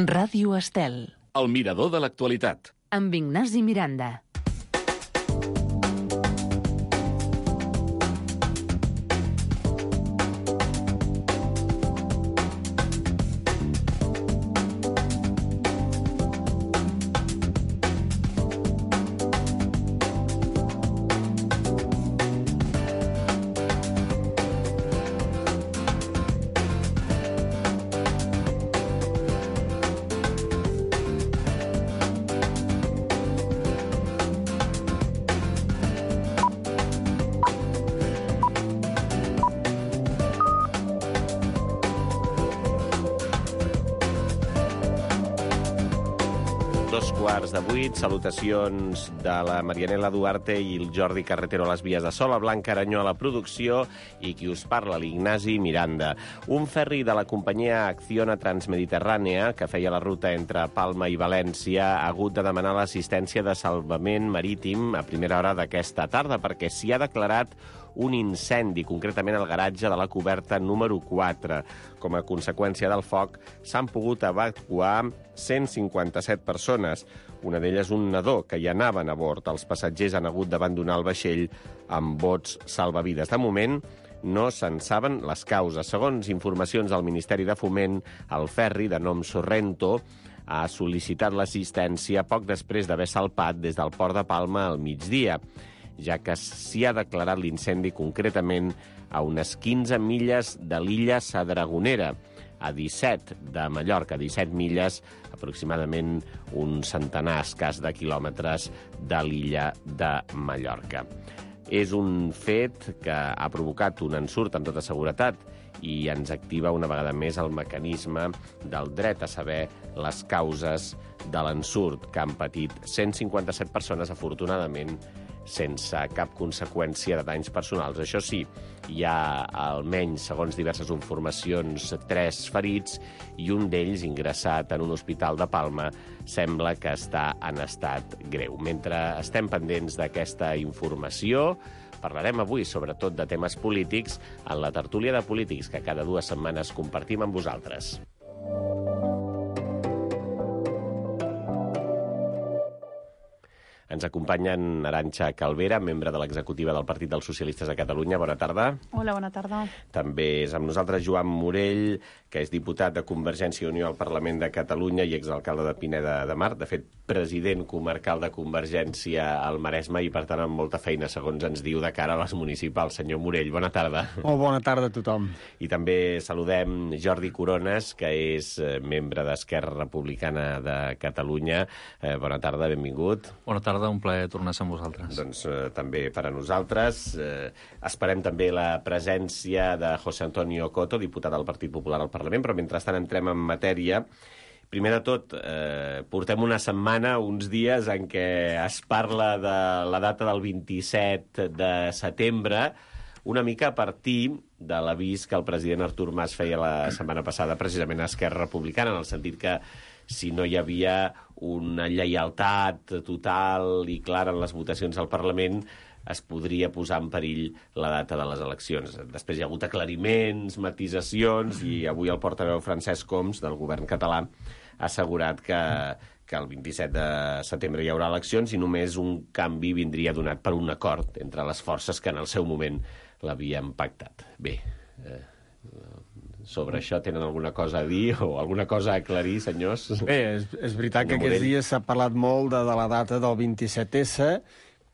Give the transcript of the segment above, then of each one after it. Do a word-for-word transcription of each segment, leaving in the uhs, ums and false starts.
Ràdio Estel. El mirador de l'actualitat. Amb Ignasi Miranda. Quarts de vuit, salutacions de la Marianela Duarte i el Jordi Carretero a les vies de so, la Blanca Aranyó a la producció i qui us parla, l'Ignasi Miranda. Un ferri de la companyia Acciona Transmediterrània, que feia la ruta entre Palma i València, ha hagut de demanar l'assistència de salvament marítim a primera hora d'aquesta tarda, perquè s'hi ha declarat un incendi, concretament al garatge de la coberta número quatre. Com a conseqüència del foc, s'han pogut evacuar cent cinquanta-set persones. Una d'elles un nadó, que hi anaven a bord. Els passatgers han hagut d'abandonar el vaixell amb bots salvavides. De moment, no se'n saben les causes. Segons informacions del Ministeri de Foment, el ferri, de nom Sorrento, ha sol·licitat l'assistència poc després d'haver salpat des del port de Palma al migdia, ja que s'hi ha declarat l'incendi concretament a unes quinze milles de l'illa Sadragonera, a disset de Mallorca, disset milles, aproximadament un centenar escàs de quilòmetres de l'illa de Mallorca. És un fet que ha provocat un ensurt amb tota seguretat i ens activa una vegada més el mecanisme del dret a saber les causes de l'ensurt que han patit cent cinquanta-set persones, afortunadament, sense cap conseqüència de danys personals. Això sí, hi ha almenys, segons diverses informacions, tres ferits i un d'ells ingressat en un hospital de Palma sembla que està en estat greu. Mentre estem pendents d'aquesta informació, parlarem avui sobretot de temes polítics en la tertúlia de polítics que cada dues setmanes compartim amb vosaltres. Ens acompanyen Arantxa Calvera, membre de l'executiva del Partit dels Socialistes de Catalunya. Bona tarda. Hola, bona tarda. També és amb nosaltres Joan Morell, que és diputat de Convergència i Unió al Parlament de Catalunya i exalcalde de Pineda de Mar. De fet, president comarcal de Convergència al Maresme i, per tant, amb molta feina, segons ens diu, de cara a les municipals. Senyor Morell, bona tarda. Molt bona tarda a tothom. I també saludem Jordi Corones, que és membre d'Esquerra Republicana de Catalunya. Eh, bona tarda, benvingut. Bona tarda. Un plaer tornar a ser amb vosaltres. Doncs eh, també per a nosaltres. Eh, esperem també la presència de José Antonio Coto, diputat del Partit Popular al Parlament, però mentrestant entrem en matèria. Primer de tot, eh, portem una setmana, uns dies, en què es parla de la data del vint-i-set de setembre, una mica a partir de l'avís que el president Artur Mas feia la setmana passada precisament a Esquerra Republicana, en el sentit que si no hi havia una lleialtat total i clara en les votacions al Parlament, es podria posar en perill la data de les eleccions. Després hi ha hagut aclariments, matisacions, i avui el portaveu Francesc Homs, del govern català, ha assegurat que, que el vint-i-set de setembre hi haurà eleccions i només un canvi vindria donat per un acord entre les forces que en el seu moment l'havien pactat. Bé, eh, sobre això tenen alguna cosa a dir o alguna cosa a aclarir, senyors? Bé, és, és veritat que aquests dies s'ha parlat molt de, de la data del vint-i-set esse,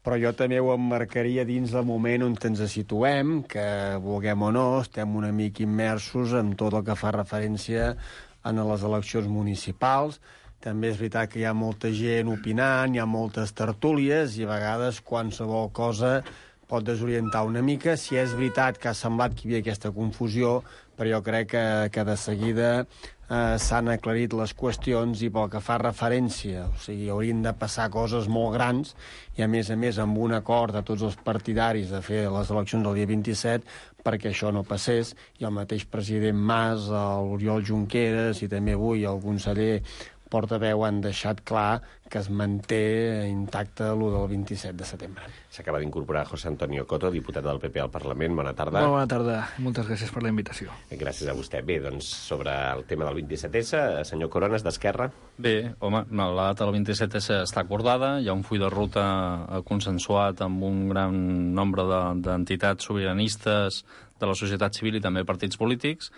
però jo també ho emmarcaria dins del moment on ens situem, que vulguem o no, estem una mica immersos en tot el que fa referència a les eleccions municipals. També és veritat que hi ha molta gent opinant, hi ha moltes tertúlies i a vegades qualsevol cosa pot desorientar una mica. Si és veritat que ha semblat que hi havia aquesta confusió, però jo crec que, que de seguida eh, s'han aclarit les qüestions i pel que fa referència, o sigui, haurien de passar coses molt grans i a més a més amb un acord de tots els partidaris de fer les eleccions el dia vint-i-set perquè això no passés, i el mateix president Mas, l'Oriol Junqueras i també avui el conseller portaveu han deixat clar que es manté intacte l'u del vint-i-set de setembre. S'acaba d'incorporar José Antonio Coto, diputat del P P al Parlament. Bona tarda. Molt bona tarda. Moltes gràcies per la invitació. Gràcies a vostè. Bé, doncs, sobre el tema del vint-i-set essa, senyor Corones, d'Esquerra. Bé, home, no, la data del vint-i-set essa està acordada, hi ha un full de ruta consensuat amb un gran nombre d'entitats de, sobiranistes de la societat civil i també partits polítics,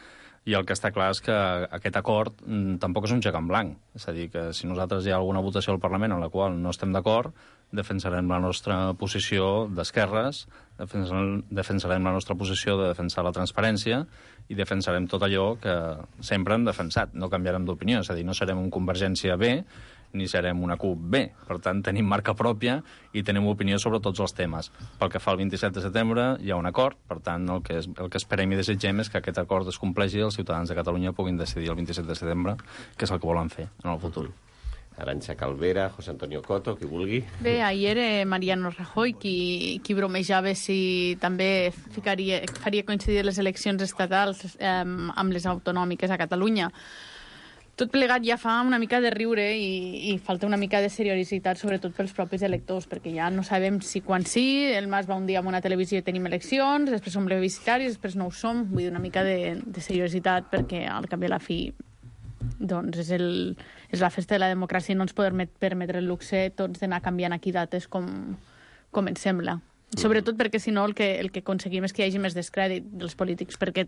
i el que està clar és que aquest acord mm, tampoc és un xec en blanc. És a dir, que si nosaltres hi ha alguna votació al Parlament en la qual no estem d'acord, defensarem la nostra posició d'esquerres, defensarem, defensarem la nostra posició de defensar la transparència i defensarem tot allò que sempre hem defensat. No canviarem d'opinió, és a dir, no serem un Convergència B ni serem una CUP B. Per tant, tenim marca pròpia i tenim opinió sobre tots els temes. Pel que fa al vint-i-set de setembre, hi ha un acord, per tant, el que, és, el que esperem i desitgem és que aquest acord es compleixi i els ciutadans de Catalunya puguin decidir el vint-i-set de setembre què és el que volen fer en el futur. Arantxa Calvera, José Antonio Coto, qui vulgui. Bé, ahir era Mariano Rajoy qui, qui bromejava si també ficaria, faria coincidir les eleccions estatals eh, amb les autonòmiques a Catalunya. Tot plegat ja fa una mica de riure i, i falta una mica de seriositat, sobretot pels propis electors, perquè ja no sabem si quan sí, el Mas va un dia a una televisió i tenim eleccions, després som plebiscitaris, després no ho som. Vull dir, una mica de, de seriositat, perquè al cap i a la fi doncs és, el, és la festa de la democràcia i no ens podem permetre el luxe tots d'anar canviant aquí dates com, com ens sembla. Sobretot perquè, si no, el que, el que aconseguim és que hi hagi més descrèdit dels polítics, perquè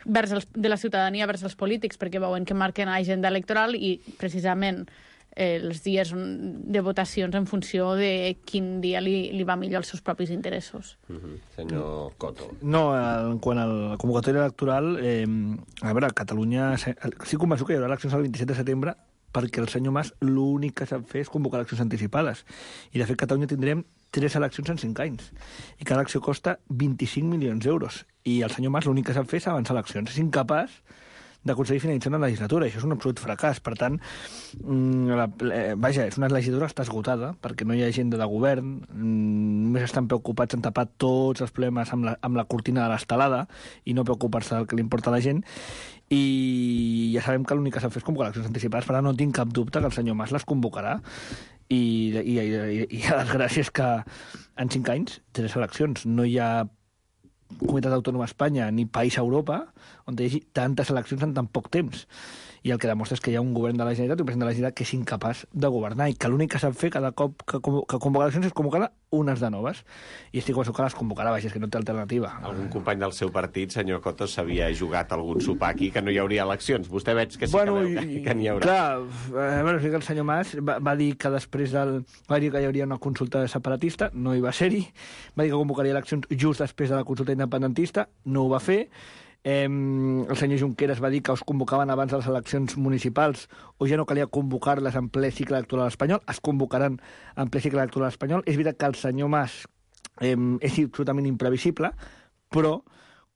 vers els, de la ciutadania vers els polítics, perquè veuen que marquen agenda electoral i, precisament, eh, els dies de votacions en funció de quin dia li, li va millor als seus propis interessos. Uh-huh. Senyor Coto. No, en quant a la convocatòria electoral, eh, a veure, a Catalunya... Sí, convençut que hi haurà eleccions el vint-i-set de setembre perquè el senyor Mas l'únic que sap fer és convocar eleccions anticipades. I, de fet, a Catalunya tindrem tres eleccions en cinc anys. I cada elecció costa vint-i-cinc milions d'euros. I el senyor Mas l'únic que sap fer és avançar eleccions. És incapaç d'aconseguir finalitzar una legislatura. Això és un absolut fracàs. Per tant, la, eh, vaja, és una legislatura que està esgotada perquè no hi ha agenda de govern, només estan preocupats en tapar tots els problemes amb la, amb la cortina de l'estelada i no preocupar-se del que li importa a la gent. I ja sabem que l'únic que s'ha fet és convocar eleccions anticipades, per tant no tinc cap dubte que el senyor Mas les convocarà. I, i, i, i a les gràcies que en cinc anys, tres eleccions, no hi ha comunitat autònoma a Espanya ni país a Europa on hi hagi tantes eleccions en tan poc temps. I el que demostra és que hi ha un govern de la Generalitat, un president de la Generalitat, que és incapaç de governar i que l'únic que sap fer cada cop que, que convoca eleccions és convocar unes de noves. I estic convençut que les convocarà, vaja, és que no té alternativa. Algun company del seu partit, senyor Coto, s'havia jugat algun sopar aquí que no hi hauria eleccions. Vostè veig que sí bueno, que veu que, que n'hi haurà. Clar, eh, bueno, sí que el senyor Mas va, va dir que després del... va dir que hi hauria una consulta separatista, no hi va ser-hi. Va dir que convocaria eleccions just després de la consulta independentista, no ho va fer. Eh, el senyor Junqueras va dir que es convocaven abans de les eleccions municipals o ja no calia convocar-les en ple cicle electoral espanyol, es convocaran en ple cicle electoral espanyol. És veritat que el senyor Mas eh, és absolutament imprevisible, però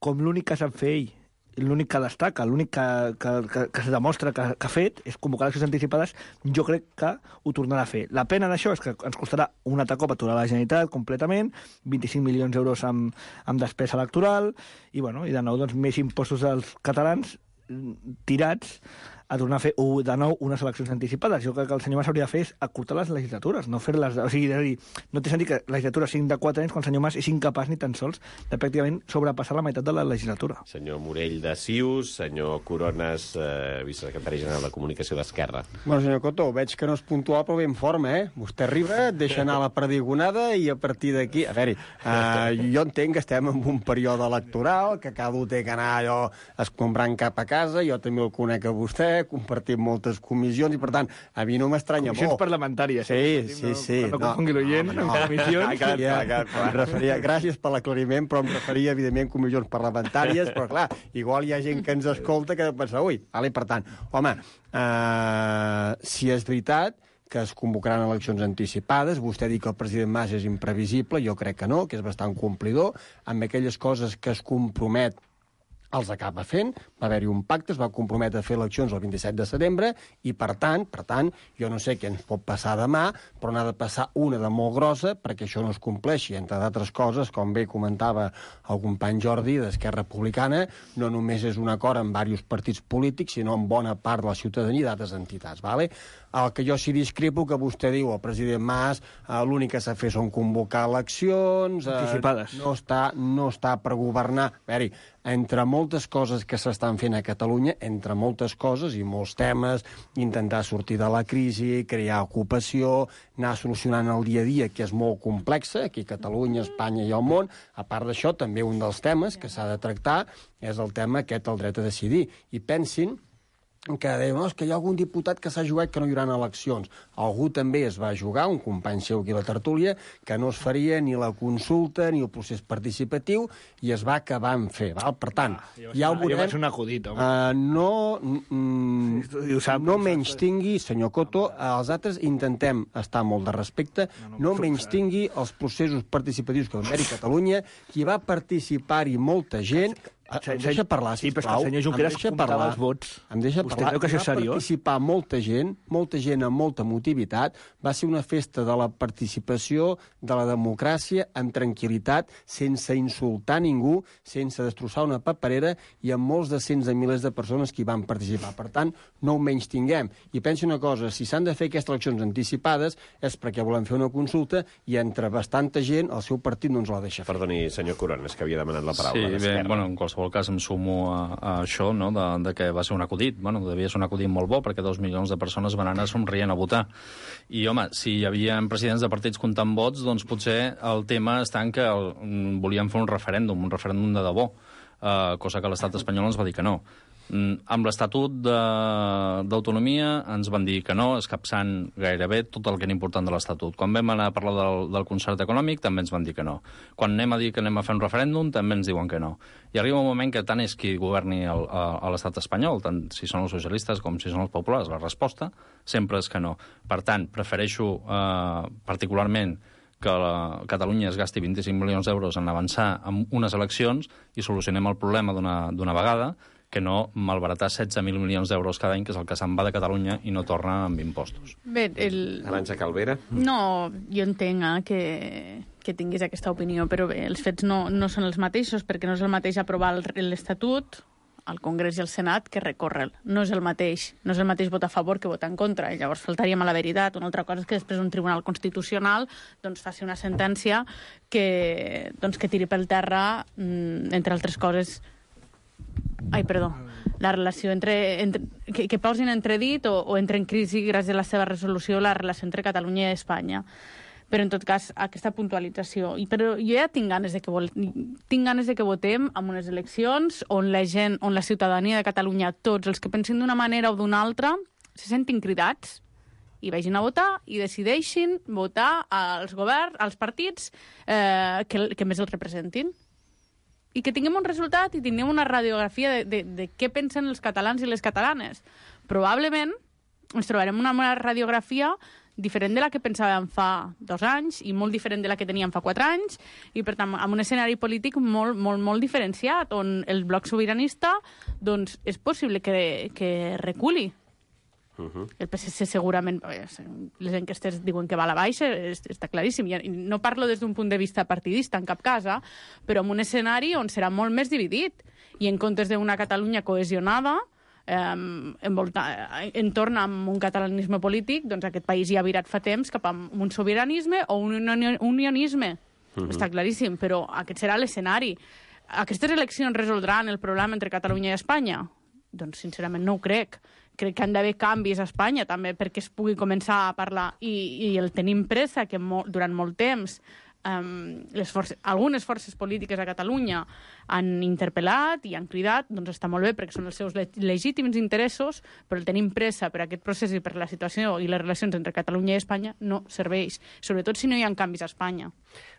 com l'únic que sap fer ell, l'únic que destaca, l'únic que, que, que, que se demostra que, que ha fet és convocar eleccions anticipades, jo crec que ho tornarà a fer. La pena d'això és que ens costarà un altre cop aturar la Generalitat completament, vint-i-cinc milions d'euros amb, amb despesa electoral, i, bueno, i de nou doncs, més impostos als catalans tirats a tornar a fer uh, de nou unes eleccions anticipades. Jo crec que el senyor Mas hauria de fer és acortar les legislatures, no fer-les... O sigui, de dir, no té sentit que la legislatura sigui de quatre anys quan el senyor Mas és incapaç ni tan sols de pràcticament sobrepassar la meitat de la legislatura. Senyor Morell de Cius, senyor Corones, eh, vicesecretari general de Comunicació d'Esquerra. Bueno, senyor Coto, veig que no és puntual, però ve en forma, eh? Vostè arriba, deixa anar la perdigonada i a partir d'aquí... A veure, eh, jo entenc que estem en un període electoral, que cada un té que anar allò escombrant cap a casa, jo també el conec a vostè, compartim moltes comissions i, per tant, a mi no m'estranya molt. Comissions parlamentàries. Sí, sí, sí. No, no confongui l'oient amb comissions. Ja, ja, ja, em referia, gràcies per l'aclariment, però em referia, evidentment, comissions parlamentàries, però, clar, igual hi ha gent que ens escolta que pensa, ui, vale, per tant, home, eh, si és veritat que es convocaran eleccions anticipades. Vostè diu que el president Mas és imprevisible, jo crec que no, que és bastant complidor, amb aquelles coses que es compromet els acaba fent, va haver-hi un pacte, es va comprometre a fer eleccions el vint-i-set de setembre i, per tant, per tant, jo no sé què ens pot passar demà, però n'ha de passar una de molt grossa perquè això no es compleixi. Entre d'altres coses, com bé comentava el company Jordi d'Esquerra Republicana, no només és un acord amb diversos partits polítics, sinó amb bona part de la ciutadania i d'altres entitats. Vale? El que jo sí discrepo, que vostè diu, el president Mas, eh, l'únic que s'ha fet són convocar eleccions... Eh, Anticipades. No està, no està per governar. A veure, entre moltes coses que s'estan fent a Catalunya, entre moltes coses i molts temes, intentar sortir de la crisi, crear ocupació, anar solucionant el dia a dia, que és molt complexa, aquí a Catalunya, Espanya i al món. A part d'això, també un dels temes que s'ha de tractar és el tema aquest, el dret a decidir. I pensin que deien, no, és que hi ha algun diputat que s'ha jugat que no hi haurà eleccions. Algú també es va jugar, un company seu aquí a la tertúlia, que no es faria ni la consulta ni el procés participatiu, i es va acabar en fer. Val? Per tant, ah, ja ho veurem... Jo vaig ser un acudit, home. Uh, no mm, sí, sap, no menys tingui, senyor Coto, els altres intentem estar molt de respecte, no, no, no menys tingui els processos participatius que va haver-hi a Catalunya, qui va participar-hi molta gent... Em deixa parlar, sisplau. Sí, però el senyor Junqueras comptava els vots. Em deixa Vostè parlar. creu que això és Va seriós? participar molta gent, molta gent amb molta motivitat. Va ser una festa de la participació, de la democràcia, amb tranquil·litat, sense insultar ningú, sense destrossar una paperera, i amb molts de cents de milers de persones que hi van participar. Per tant, no ho menys tinguem. I pensi una cosa, si s'han de fer aquestes eleccions anticipades és perquè volem fer una consulta i entre bastanta gent el seu partit no ens la deixa fer. Perdoni, senyor Corones, que havia demanat la paraula. Sí, bé, d'Esquerra. bueno, en qualsevol cas em sumo a, a això, no?, de, de que va ser un acudit. Bueno, devia ser un acudit molt bo, perquè dos milions de persones van anar somrient a votar. I, home, si hi havia presidents de partits comptant vots, doncs potser el tema està en que el, volien fer un referèndum, un referèndum de debò, eh, cosa que l'estat espanyol ens va dir que no. Mm, amb l'Estatut d'Autonomia ens van dir que no, escapçant gairebé tot el que era important de l'Estatut. Quan vam anar a parlar del, del concert econòmic, també ens van dir que no. Quan anem a dir que anem a fer un referèndum, també ens diuen que no. I arriba un moment que tant és qui governi el, a, a l'estat espanyol, tant si són els socialistes com si són els populars, la resposta sempre és que no. Per tant, prefereixo eh, particularment que la Catalunya es gasti vint-i-cinc milions d'euros en avançar amb unes eleccions i solucionem el problema d'una vegada, que no malbaratar setze mil milions d'euros cada any, que és el que se'n va de Catalunya i no torna amb impostos. Bé, el... Arantxa Calvera? No, jo entenc eh, que, que tinguis aquesta opinió, però bé, els fets no, no són els mateixos, perquè no és el mateix aprovar l'Estatut al Congrés i al Senat que recórrer. No és el mateix. No és el mateix votar a favor que votar en contra. I llavors faltaríem a la veritat. Una altra cosa és que després un tribunal constitucional doncs, faci una sentència que, doncs, que tiri pel terra, entre altres coses, ai, perdó, la relació entre... entre que, que posi en entredit o, o entre en crisi gràcies a la seva resolució la relació entre Catalunya i Espanya. Però, en tot cas, aquesta puntualització. I, però jo ja tinc ganes de que, vol, tinc ganes de que votem en unes eleccions on la gent, on la ciutadania de Catalunya, tots els que pensin d'una manera o d'una altra, se sentin cridats i vagin a votar i decideixin votar als governs, als partits eh, que, que més els representin. I que tinguem un resultat i tinguem una radiografia de, de, de què pensen els catalans i les catalanes. Probablement ens trobarem una, una radiografia diferent de la que pensàvem fa dos anys i molt diferent de la que teníem fa quatre anys i, per tant, amb un escenari polític molt, molt, molt diferenciat, on el bloc sobiranista doncs, és possible que, que reculi. Uh-huh. El P S C segurament, les enquestes diuen que va a la baixa, està claríssim. I no parlo des d'un punt de vista partidista, en cap cas, eh? Però en un escenari on serà molt més dividit. I en comptes d'una Catalunya cohesionada, eh, envolta, entorn amb un catalanisme polític, doncs aquest país ja ha virat fa temps cap a un sobiranisme o un unionisme. Uh-huh. Està claríssim, però aquest serà l'escenari. Aquestes eleccions resoldran el problema entre Catalunya i Espanya? Doncs, sincerament, no ho crec. Crec que han d'haver canvis a Espanya, també, perquè es pugui començar a parlar. I, i el tenim pressa, que mo, durant molt temps um, les forces, algunes forces polítiques a Catalunya han interpel·lat i han cridat, doncs està molt bé, perquè són els seus le legítims interessos, però el tenim pressa per aquest procés i per la situació i les relacions entre Catalunya i Espanya no serveix, sobretot si no hi ha canvis a Espanya.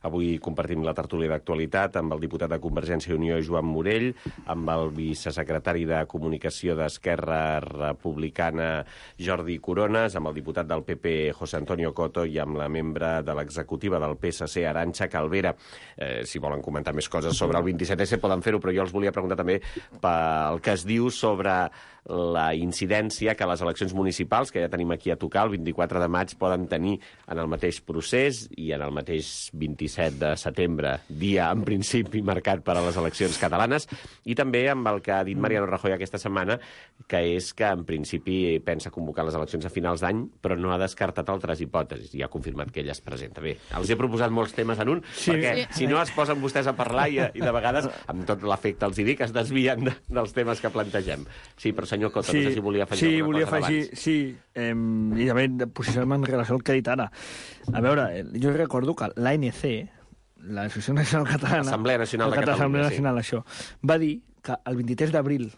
Avui compartim la tertúlia d'actualitat amb el diputat de Convergència i Unió, Joan Morell, amb el vicesecretari de Comunicació d'Esquerra Republicana, Jordi Corones, amb el diputat del P P, José Antonio Coto, i amb la membre de l'executiva del P S C, Arantxa Calvera. Eh, si volen comentar més coses sobre el vint-i-set esse, potser poden fer-ho, però jo els volia preguntar també pel que es diu sobre la incidència que les eleccions municipals, que ja tenim aquí a tocar, el vint-i-quatre de maig, poden tenir en el mateix procés i en el mateix vint-i-set de setembre, dia en principi marcat per a les eleccions catalanes, i també amb el que ha dit Mariano Rajoy aquesta setmana, que és que en principi pensa convocar les eleccions a finals d'any, però no ha descartat altres hipòtesis, i ha confirmat que ell es presenta. Bé, els he proposat molts temes en un, sí, perquè sí. si no es posen vostès a parlar i, i de vegades, amb tot l'efecte els hi dic, es desvien de, dels temes que plantegem. Sí, però senyor Coto, sí, no sé si volia afegir sí, alguna volia cosa afegir, abans. sí, eh, i també posicionar-me en relació al que he dit ara. A veure, jo recordo que l'A N C, l'Associació Nacional Catalana... L'Assemblea Nacional de Catalunya, Assemblea sí. Nacional, això, va dir que el vint-i-tres d'abril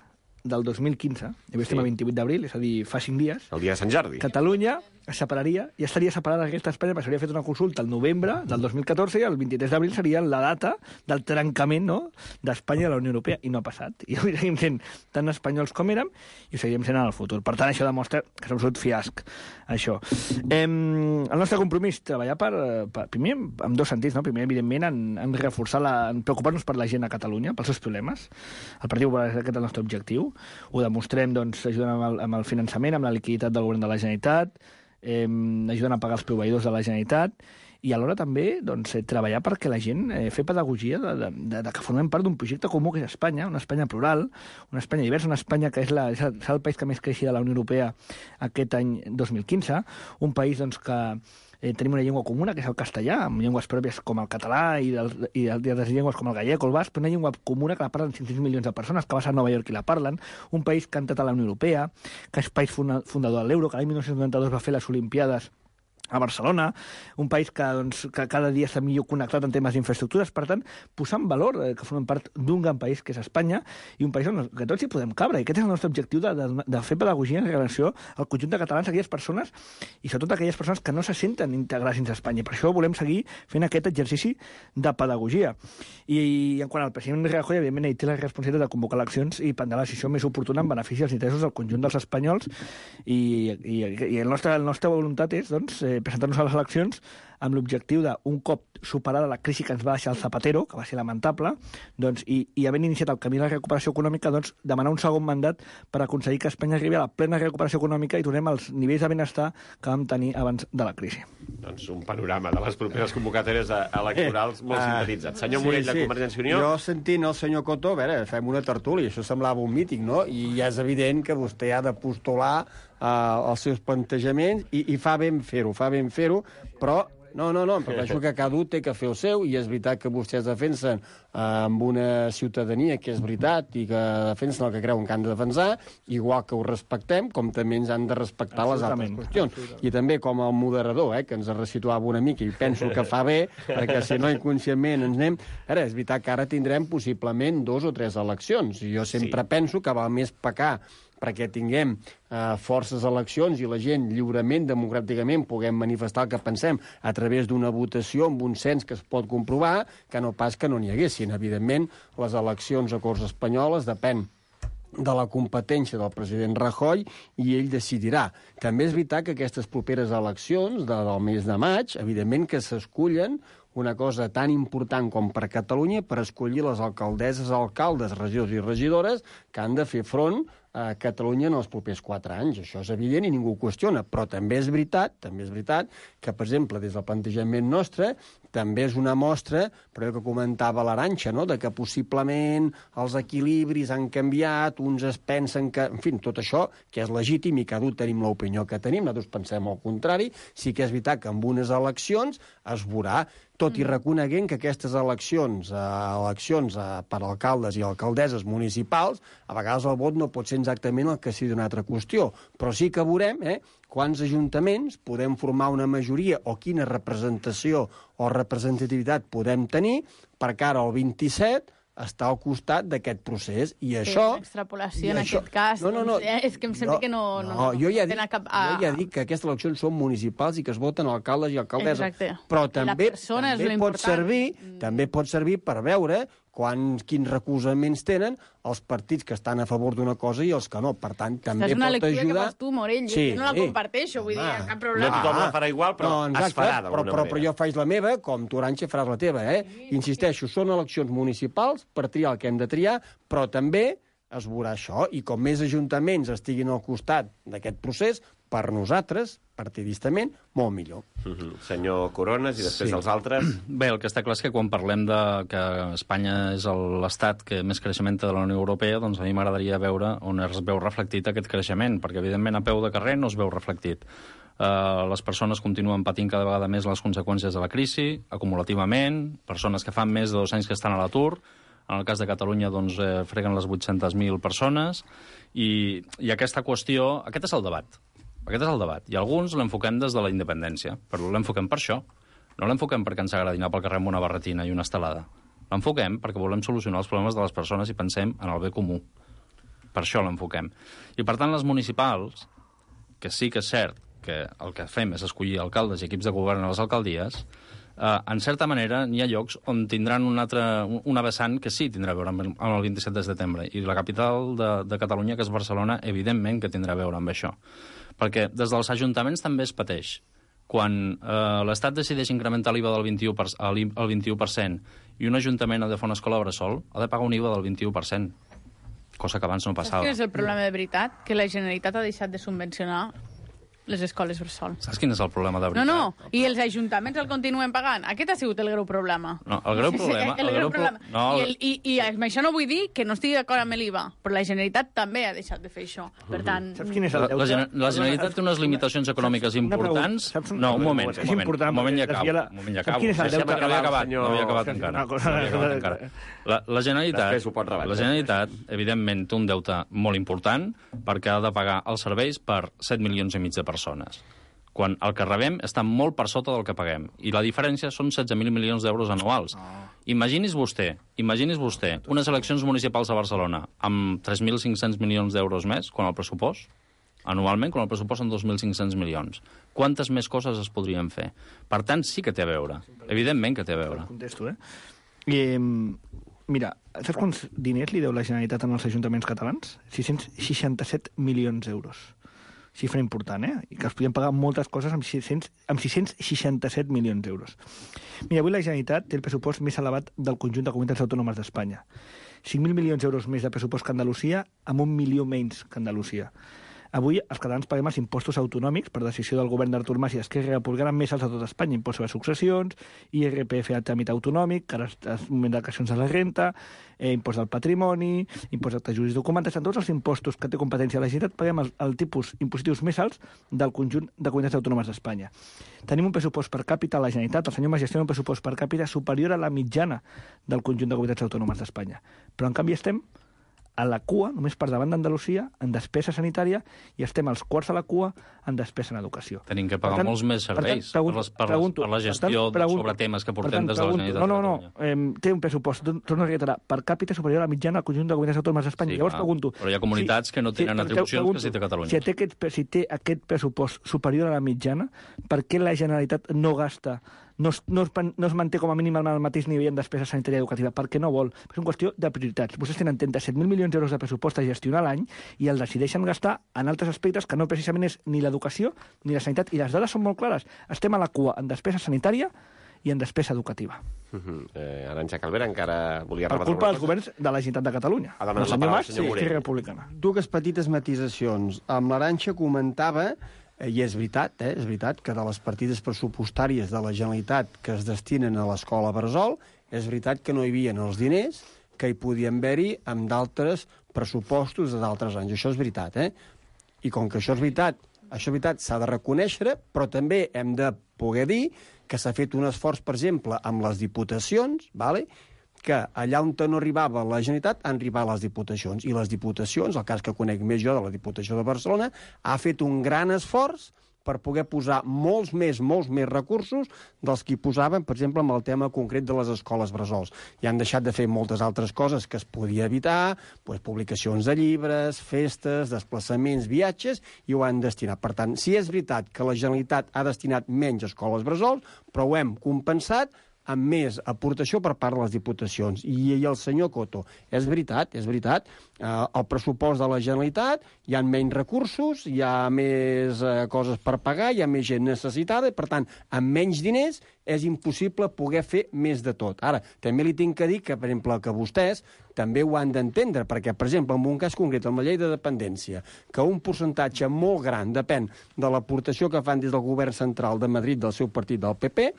del dos mil quinze, i avui estem Sí. a vint-i-vuit d'abril, és a dir, fa cinc dies, El dia de Sant Jordi. Catalunya es separaria, ja estaria separada d'aquesta Espanya, perquè s'hauria fet una consulta el novembre del dos mil catorze i el vint-i-tres d'abril seria la data del trencament, no?, d'Espanya de la Unió Europea, i no ha passat. I avui seguim sent tan espanyols com érem i ho seguirem sent en el futur. Per tant, això demostra que és un absolut fiasc, això. Eh, el nostre compromís, treballar per, per primer, en dos sentits, no? Primer, evidentment, en, en reforçar, la, en preocupar-nos per la gent a Catalunya, pels seus problemes. El Partit Popular és aquest el nostre objectiu. Ho demostrem, doncs, ajudant amb el, amb el finançament, amb la liquiditat del govern de la Generalitat, eh, ajudant a pagar els proveïdors de la Generalitat, i alhora també doncs, eh, treballar perquè la gent eh, fer pedagogia de, de, de, de que formem part d'un projecte comú que és Espanya, una Espanya plural, una Espanya diversa, una Espanya que és, la, és el país que més creixia de la Unió Europea aquest any dos mil quinze, un país doncs, que eh, tenim una llengua comuna, que és el castellà, amb llengües pròpies com el català i, del, i altres llengües com el gallec o el basc, però una llengua comuna que la parlen cinc-cents milions de persones, que va ser a Nova York i la parlen, un país que ha entrat a la Unió Europea, que és país fundador de l'euro, que l'any dinou noranta-dos va fer les Olimpiades a Barcelona, un país que, doncs, que cada dia està millor connectat en temes d'infraestructures, per tant, posar en valor eh, que formem part d'un gran país que és Espanya i un país on que tots hi podem cabre, i aquest és el nostre objectiu de, de, de fer pedagogia en relació al conjunt de catalans, aquelles persones, i sobretot aquelles persones que no se senten integrats dins Espanya. Per això volem seguir fent aquest exercici de pedagogia. I, i en quant al president Rajoy, evidentment, ell té la responsabilitat de convocar eleccions i prendre la decisió més oportuna en benefici dels interessos del conjunt dels espanyols, i, i, i el nostre, la nostra voluntat és, doncs, eh, presentar-nos a les eleccions amb l'objectiu de, un cop superada la crisi que ens va deixar el Zapatero, que va ser lamentable, doncs, i, i havent iniciat el camí de la recuperació econòmica, doncs, demanar un segon mandat per aconseguir que Espanya arribi a la plena recuperació econòmica i tornem als nivells de benestar que vam tenir abans de la crisi. Doncs un panorama de les properes convocatòries electorals molt Eh, sintetitzat. Senyor Morell, de Convergència i Unió... Jo, sentint el senyor Coto, a veure, fem una tertúlia, això semblava un míting, no? I ja és evident que vostè ha de postular eh, els seus plantejaments i, i fa ben fer-ho, fa ben fer-ho, però no, no, no, em refereixo que cada un té que fer el seu, i és veritat que vostès defensen eh, amb una ciutadania que és veritat i que defensen el que creuen que han de defensar, igual que ho respectem, com també ens han de respectar les altres qüestions. I també com el moderador, eh, que ens resituava una mica, i penso que fa bé, perquè si no inconscientment ens anem... Ara, és veritat que ara tindrem possiblement dos o tres eleccions, i jo sempre sí. penso que val més pecar perquè tinguem eh, forces eleccions i la gent lliurement, democràticament, puguem manifestar el que pensem a través d'una votació amb un cens que es pot comprovar, que no pas que no n'hi haguessin. Evidentment, les eleccions a Corts Espanyoles depèn de la competència del president Rajoy i ell decidirà. També és veritat que aquestes properes eleccions de, del mes de maig, evidentment que s'escullen una cosa tan important com per Catalunya per escollir les alcaldesses, alcaldes, regidors i regidores que han de fer front a Catalunya en els propers quatre anys. Això és evident i ningú ho qüestiona, però també és veritat, també és veritat que, per exemple, des del plantejament nostre, també és una mostra, però el que comentava l'Arantxa, no?, de que possiblement els equilibris han canviat, uns es pensen que... En fi, tot això, que és legítim i cada un tenim l'opinió que tenim, nosaltres pensem al contrari, sí que és veritat que amb unes eleccions es veurà, tot i reconeguent que aquestes eleccions, eh, eleccions eh, per alcaldes i alcaldesses municipals, a vegades el vot no pot ser exactament el que sigui d'una altra qüestió, però sí que veurem eh, quants ajuntaments podem formar una majoria o quina representació o representativitat podem tenir per cara al vint-i-set està al costat d'aquest procés, i això... Sí, l'extrapolació en això, aquest cas, no, no, no, doncs, és que em sembla no, que no... No, no, jo, ja dic, cap, a... jo ja dic que aquestes eleccions són municipals i que es voten alcaldes i alcaldesses. Exacte. Però també, també, pot important. servir, també pot servir per veure quan, quins recolzaments tenen els partits que estan a favor d'una cosa i els que no. Per tant, també és una pot lectura ajudar... que fas tu, Morell. Sí, jo no la sí. comparteixo, vull dir, Home, cap problema. No tothom la farà igual, però no, exacte, es farà però, d'alguna però, manera. però jo faig la meva, com tu, Arantxa, faràs la teva, eh? Insisteixo, són eleccions municipals per triar el que hem de triar, però també es veurà això, i com més ajuntaments estiguin al costat d'aquest procés, per nosaltres, partidistament, molt millor. Uh -huh. Senyor Corones, i després Sí. els altres... Bé, el que està clar és que quan parlem de que Espanya és l'estat que més creixement té de la Unió Europea, doncs a mi m'agradaria veure on es veu reflectit aquest creixement, perquè evidentment a peu de carrer no es veu reflectit. Uh, les persones continuen patint cada vegada més les conseqüències de la crisi, acumulativament, persones que fan més de dos anys que estan a l'atur, en el cas de Catalunya doncs, eh, freguen les vuit-centes mil persones, i, i aquesta qüestió, aquest és el debat. Aquest és el debat. I alguns l'enfoquem des de la independència, però l'enfoquem per això. No l'enfoquem perquè ens agradi anar pel carrer amb una barretina i una estelada. L'enfoquem perquè volem solucionar els problemes de les persones i pensem en el bé comú. Per això l'enfoquem. I, per tant, les municipals, que sí que és cert que el que fem és escollir alcaldes i equips de govern a les alcaldies, eh, en certa manera n'hi ha llocs on tindran un altre, una vessant que sí tindrà a veure amb el, amb el vint-i-set de setembre. I la capital de, de Catalunya, que és Barcelona, evidentment que tindrà a veure amb això. Perquè des dels ajuntaments també es pateix. Quan eh, l'Estat decideix incrementar l'I V A del vint-i-u per cent, al vint-i-u per cent i un ajuntament ha de fer una escola bressol, ha de pagar un I V A del vint-i-u per cent, cosa que abans no passava. Saps quin és el problema de veritat? Que la Generalitat ha deixat de subvencionar les escoles bressol. Saps quin és el problema de No, veritat? no, i els ajuntaments el continuen pagant. Aquest ha sigut el greu problema. No, el greu problema... el, el greu problema. No, I, el, i, I amb això no vull dir que no estigui d'acord amb l'I V A, però la Generalitat també ha deixat de fer això. Per tant... Saps quin és el La, deute? la, Gener- la Generalitat té unes limitacions econòmiques Una pregunta. importants... Saps un- No, un moment, És un moment, important, un moment ja perquè acabo. desvia la- Un moment ja Saps acabo. quin és el Deixa'm deute? acabar, No havia acabat, senyor- no havia acabat Una encara. cosa- No havia acabat encara. La, la Generalitat, Després ho pot rebatre. la Generalitat, evidentment, té un deute molt important perquè ha de pagar els serveis per set milions i mig de persones, quan el que rebem està molt per sota del que paguem. I la diferència són setze mil milions d'euros anuals. Oh. Imagini's vostè, imagini's vostè unes eleccions municipals a Barcelona amb tres mil cinc-cents milions d'euros més, quan el pressupost, anualment, quan el pressupost són dos mil cinc-cents milions. Quantes més coses es podrien fer? Per tant, sí que té a veure. Evidentment que té a veure. Contesto, eh? I, eh, mira, saps quants diners li deu la Generalitat als ajuntaments catalans? sis-cents seixanta-set milions d'euros. Xifra important, eh? I que es podien pagar moltes coses amb, sis-cents, amb sis-cents seixanta-set milions d'euros. Mira, avui la Generalitat té el pressupost més elevat del conjunt de comunitats autònomes d'Espanya. cinc mil milions d'euros més de pressupost que Andalusia, amb un milió menys que Andalusia. Avui els catalans paguem els impostos autonòmics per decisió del govern d'Artur Mas i Esquerra Republicana més alts de tot Espanya, impost sobre successions, I R P F a tràmit autonòmic, que ara és un moment de declaracions de la renta, eh, impost del patrimoni, impost d'actes jurídics documentats, en tots els impostos que té competència la Generalitat paguem el, el tipus impositius més alts del conjunt de comunitats autònomes d'Espanya. Tenim un pressupost per càpita a la Generalitat, el senyor Mas gestiona un pressupost per càpita superior a la mitjana del conjunt de comunitats autònomes d'Espanya. Però en canvi estem a la cua, només per davant d'Andalusia, en despesa sanitària, i estem als quarts a la cua en despesa en educació. Tenim que pagar Per tant- molts més per tant, serveis pregunto- per, les, per, pregunto- les, per la per tant, gestió pregunto- sobre temes que per portem tant, des de la pregunto- Generalitat No, no, de no. Catalunya. Eh, té un pressupost, torno a reiterar, per càpita superior a la mitjana al conjunt de comunitats autònomes d'Espanya. Sí, Llavors clar, pregunto... però hi ha comunitats que no tenen però atribucions pregunto, que sí té Catalunya. Si té, aquest, si té aquest pressupost superior a la mitjana, per què la Generalitat no gasta, no es, no es, no es manté com a mínim al mateix nivell en despesa sanitària i educativa? Perquè no vol. És una qüestió de prioritats. Vostès tenen trenta-set mil milions d'euros de pressupost a gestionar l'any i el decideixen gastar en altres aspectes que no precisament és ni l'educació ni la sanitat. I les dades són molt clares. Estem a la cua en despesa sanitària i en despesa educativa. Uh -huh. eh, Arantxa Calvera encara volia Per rebatre culpa alguna dels cosa? governs de la Generalitat de Catalunya. Ha demanat El la senyor paraula Mas el senyor i Morell. Esquerra Republicana. Dues petites matisacions. Amb l'Arantxa comentava, eh, i és veritat, eh, és veritat que de les partides pressupostàries de la Generalitat que es destinen a l'escola bressol, és veritat que no hi havia els diners que hi podien haver-hi amb d'altres pressupostos d'altres anys. Això és veritat, eh? I com que això és veritat, això és veritat, s'ha de reconèixer, però també hem de poder dir que s'ha fet un esforç, per exemple, amb les diputacions, vale? que allà on no arribava la Generalitat han arribat les diputacions. I les diputacions, el cas que conec més jo de la Diputació de Barcelona, ha fet un gran esforç per poder posar molts més, molts més recursos dels que hi posaven, per exemple, amb el tema concret de les escoles bressols. I han deixat de fer moltes altres coses que es podia evitar, doncs, publicacions de llibres, festes, desplaçaments, viatges, i ho han destinat. Per tant, sí és veritat que la Generalitat ha destinat menys a escoles bressols, però ho hem compensat amb més aportació per part de les diputacions. I, i el senyor Coto, és veritat, és veritat, eh, el pressupost de la Generalitat, hi ha menys recursos, hi ha més eh, coses per pagar, hi ha més gent necessitada, i per tant, amb menys diners és impossible poder fer més de tot. Ara, també li tinc que dir que, per exemple, que vostès també ho han d'entendre, perquè, per exemple, en un cas concret, amb la llei de dependència, que un percentatge molt gran depèn de l'aportació que fan des del govern central de Madrid, del seu partit, del P P,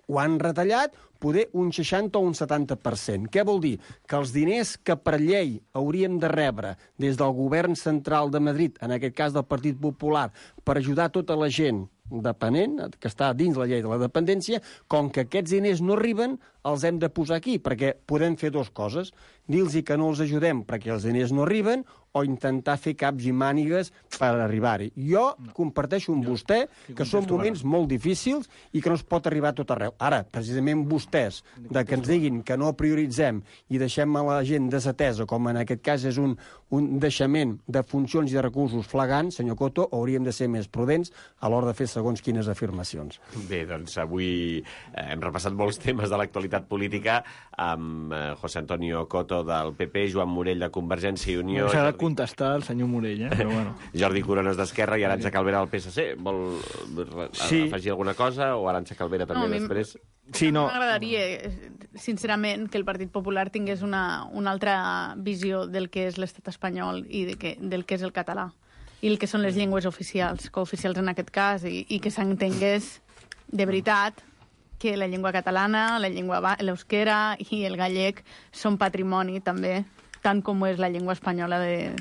ho han retallat poder un seixanta o un setanta per cent. Què vol dir? Que els diners que per llei hauríem de rebre des del govern central de Madrid, en aquest cas del Partit Popular, per ajudar tota la gent dependent, que està dins la llei de la dependència, com que aquests diners no arriben, els hem de posar aquí, perquè podem fer dues coses. Dir-los que no els ajudem perquè els diners no arriben, o intentar fer caps i mànigues per arribar-hi. Jo comparteixo amb vostè que són moments molt difícils i que no es pot arribar a tot arreu. Ara, precisament vostès, de que ens diguin que no prioritzem i deixem a la gent desatesa, com en aquest cas és un, un deixament de funcions i de recursos flagrant, senyor Coto, hauríem de ser més prudents a l'hora de fer segons quines afirmacions. Bé, doncs avui hem repassat molts temes de l'actualitat política amb José Antonio Coto del P P, Joan Morell de Convergència i Unió... S'ha de contestar el senyor Morell, eh? Però bueno. Jordi Corones d'Esquerra i Arantxa Calvera del P S C. Vol sí. afegir alguna cosa? O Arantxa Calvera també no, després? Sí, no. M'agradaria, sincerament, que el Partit Popular tingués una, una altra visió del que és l'estat espanyol i de que, del que és el català i el que són les llengües oficials, cooficials en aquest cas, i, i que s'entengués de veritat que la llengua catalana, la llengua l'euskera i el gallec són patrimoni també, tant com és la llengua espanyola de,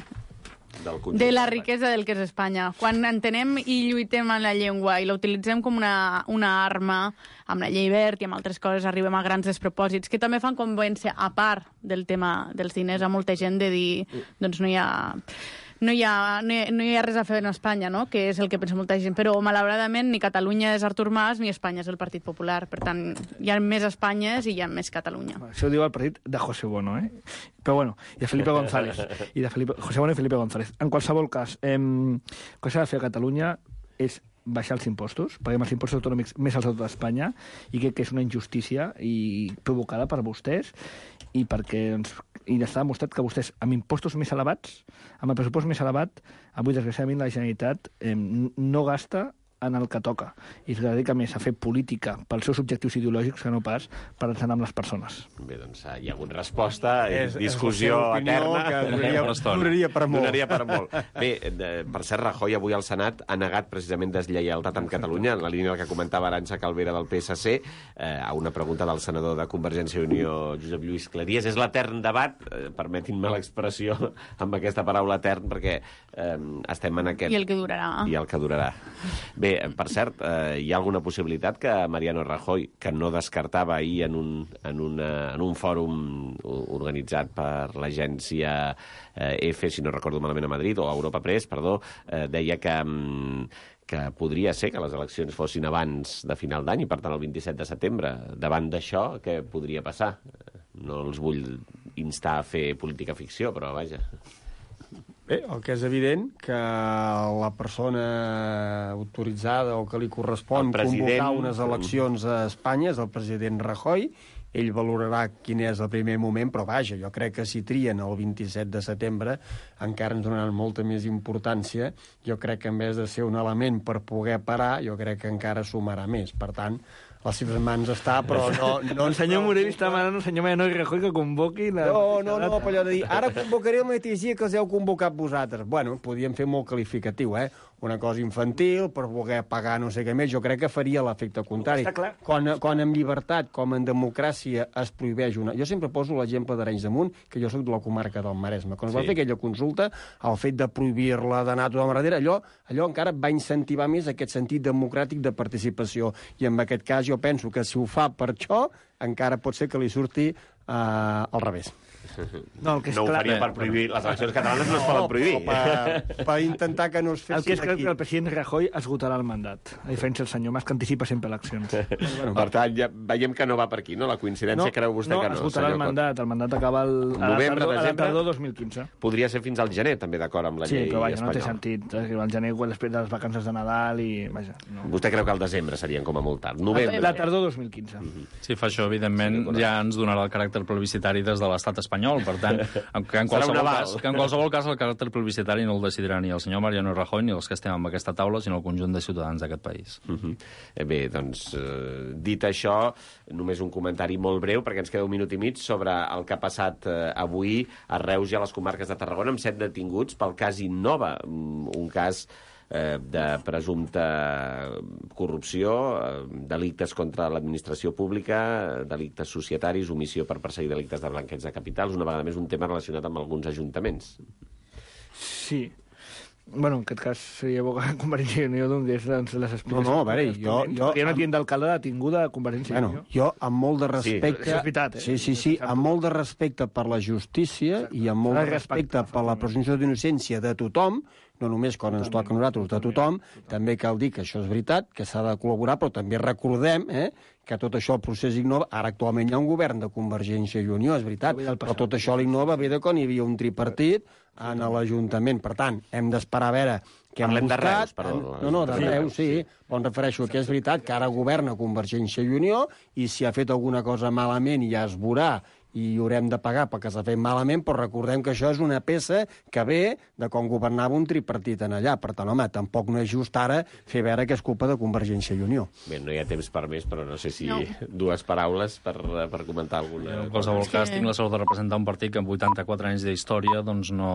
de la riquesa del que és Espanya. Quan entenem i lluitem en la llengua i la utilitzem com una, una arma, amb la llei verd i amb altres coses, arribem a grans despropòsits que també fan convèncer, a part del tema dels diners, a molta gent de dir doncs no hi ha... No hi, ha, no, hi, no hi ha res a fer en Espanya, no? Que és el que pensa molta gent. Però, malauradament, ni Catalunya és Artur Mas ni Espanya és el Partit Popular. Per tant, hi ha més Espanyes i hi ha més Catalunya. Això ho diu el partit de José Bono, eh? Però bueno, i de Felipe González. I de Felipe, José Bono i Felipe González. En qualsevol cas, eh, el que s'ha de fer a Catalunya és baixar els impostos, paguem els impostos autonòmics més alts de tota Espanya, i crec que és una injustícia i provocada per vostès, i perquè doncs, i està demostrat que vostès, amb impostos més elevats, amb el pressupost més elevat, avui, desgraciadament, la Generalitat eh, no gasta en el que toca, i es dedica més a fer política pels seus objectius ideològics que no pas per ensenyar amb les persones. Bé, doncs hi ha hagut resposta, és, discussió és eterna. Que duraria, duraria per molt. Donaria per molt. Bé, de, per cert, Rajoy avui al Senat ha negat precisament deslleialtat amb Catalunya, en la línia del que comentava Arantxa Calvera del P S C, eh, a una pregunta del senador de Convergència i Unió, Josep Lluís Cleries. És l'etern debat, eh, permetin-me l'expressió amb aquesta paraula etern, perquè eh, estem en aquest... I el que durarà. I el que durarà. Bé, Bé, per cert, eh, hi ha alguna possibilitat que Mariano Rajoy, que no descartava ahir en un, en una, en un fòrum organitzat per l'agència eh, EFE, si no recordo malament, a Madrid, o Europa Press, perdó, eh, deia que, que podria ser que les eleccions fossin abans de final d'any, i per tant el vint-i-set de setembre. Davant d'això, què podria passar? No els vull instar a fer política ficció, però vaja... Bé, el que és evident que la persona autoritzada o que li correspon convocar unes eleccions a Espanya és el president Rajoy. Ell valorarà quin és el primer moment, però vaja, jo crec que si trien el vint-i-set de setembre encara ens donaran molta més importància. Jo crec que en vez de ser un element per poder parar, jo crec que encara sumarà més. Per tant, a les seves mans està, però no... no el senyor Morell està demanant al senyor Mariano Rajoy que convoqui la... No, no, no, per allò de dir, ara convocaré el mateix dia que els heu convocat vosaltres. Bueno, podíem fer molt qualificatiu, eh? Una cosa infantil, per voler pagar no sé què més, jo crec que faria l'efecte contrari. Quan, quan en llibertat, com en democràcia, es prohibeix una... Jo sempre poso l'exemple d'Arenys de Munt, que jo soc de la comarca del Maresme. Quan es va sí. fer aquella consulta, el fet de prohibir-la, d'anar a tothom darrere, allò, allò encara va incentivar més aquest sentit democràtic de participació. I en aquest cas jo penso que si ho fa per això, encara pot ser que li surti uh, al revés. No, el que és no ho clar... faria per prohibir. Les eleccions catalanes no es poden prohibir. Per, per intentar que no es El que és fessin clar aquí. que el president Rajoy esgotarà el mandat, a diferència del senyor Mas, que anticipa sempre eleccions. Bueno, per tant, ja veiem que no va per aquí, no? La coincidència creu vostè no, que no? esgotarà el senyor Coto? mandat. El mandat acaba el, a, la Novembre, tardor, a la desembre? tardor dos mil quinze. Podria ser fins al gener, també, d'acord amb la Sí, llei però vaja, no té espanyola. sentit. Al gener, quan després de les vacances de Nadal i... Vaja, no. Vostè creu que al desembre serien com a molt tard? Novembre. La tardor dos mil quinze. Si fa això, evidentment, Sí, ja ens donarà el caràcter plebiscitari des de l'estat espanyol. Per tant, que en, Serà un qualsevol aval. cas, que en qualsevol cas el caràcter plebiscitari no el decidirà ni el senyor Mariano Rajoy ni els que estem en aquesta taula, sinó el conjunt de ciutadans d'aquest país. Uh -huh. eh, bé, doncs, eh, dit això, només un comentari molt breu, perquè ens queda un minut i mig, sobre el que ha passat eh, avui a Reus i a les comarques de Tarragona, amb set detinguts pel cas Innova, un cas eh, de presumpta corrupció, eh, delictes contra l'administració pública, delictes societaris, omissió per perseguir delictes de blanqueig de capitals, una vegada més un tema relacionat amb alguns ajuntaments. Sí. Bueno, en aquest cas seria bo que Convergència i Unió donés doncs, les explicacions. No, no, a veure, jo- jo- Hi ha una tienda d'alcalde detinguda a Convergència i Bueno, Unió. jo, amb molt de respecte... Això és veritat, eh? Sí, sí, sí, amb molt de respecte per la justícia i amb molt de S'ha de respectar, respecte per la presumpció d'innocència de tothom, no només quan ens toca a nosaltres, de tothom, també cal dir que això és veritat, que s'ha de col·laborar, però també recordem eh, que tot això, el procés Innova, ara actualment hi ha un govern de Convergència i Unió, és veritat, però tot això l'Innova ve de quan hi havia un tripartit en l'Ajuntament. Per tant, hem d'esperar a veure què hem Parlem de buscat. Reus, perdó. No, no, de Sí, Reus, sí. Però em refereixo que és veritat que ara governa Convergència i Unió i si ha fet alguna cosa malament ja es veurà i haurem de pagar perquè s'ha fet malament, però recordem que això és una peça que ve de quan governava un tripartit en allà. Per tant, home, tampoc no és just ara fer veure que és culpa de Convergència i Unió. Bé, no hi ha temps per més, però no sé si No. dues paraules per, per comentar alguna En qualsevol És cas, que- tinc la sort de representar un partit que amb vuitanta-quatre anys d'història doncs no,